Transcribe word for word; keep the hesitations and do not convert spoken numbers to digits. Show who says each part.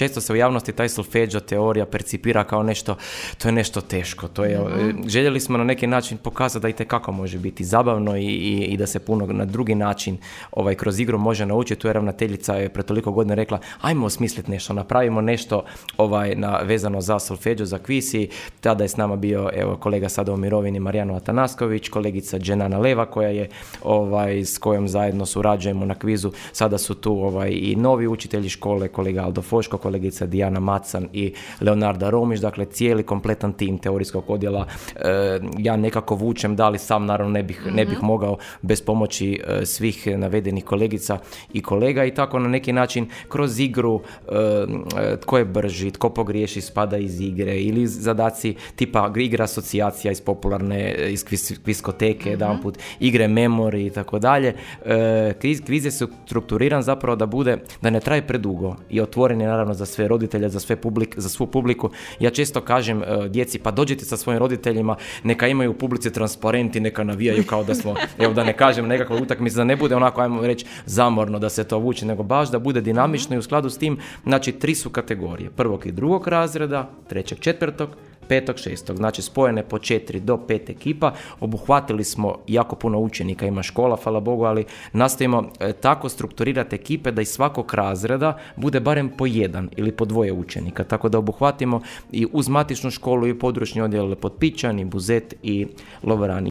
Speaker 1: Često se u javnosti taj solfeđo teorija percipira kao nešto, to je nešto teško. To je, mm-hmm. Željeli smo na neki način pokazati da i tekako može biti zabavno i, i, i da se puno na drugi način ovaj, kroz igru može naučiti. Tu je ravnateljica je pre toliko godina rekla, ajmo osmisliti nešto, napravimo nešto ovaj, na, vezano za solfeđo, za kviz i tada je s nama bio evo, kolega sada u mirovini Marijano Atanasković, kolegica Dženana Leva koja je, ovaj, s kojom zajedno surađujemo na kvizu. Sada su tu ovaj, i novi učitelji škole, kolega Aldo Foško, kolegica Dijana Macan i Leonarda Romić, dakle cijeli kompletan tim teorijskog odjela. E, ja nekako vučem, da li sam naravno ne bih, mm-hmm. ne bih mogao bez pomoći e, svih navedenih kolegica i kolega i tako na neki način kroz igru e, tko je brži, tko pogriješi spada iz igre ili zadaci tipa igra asocijacija iz popularne, iz kviz, kviskoteke, mm-hmm. jedanput igre memori i tako dalje. Kviz, kviz je strukturiran zapravo da bude, da ne traje predugo i otvoren je naravno za sve roditelje, za, sve publik, za svu publiku. Ja često kažem uh, djeci, pa dođite sa svojim roditeljima, neka imaju u publici transparenti, neka navijaju kao da smo, evo da ne kažem nekakva utakmica, da ne bude onako, ajmo reći, zamorno da se to vuče, nego baš da bude dinamično i u skladu s tim, znači tri su kategorije, prvog i drugog razreda, trećeg, četvrtog, petog, šestog, znači spojene po četiri do pet ekipa, obuhvatili smo jako puno učenika, ima škola, hvala Bogu, ali nastavimo e, tako strukturirati ekipe da iz svakog razreda bude barem po jedan ili po dvoje učenika, tako da obuhvatimo i uz matičnu školu i područni odjel Potpičan i Buzet i Lovran.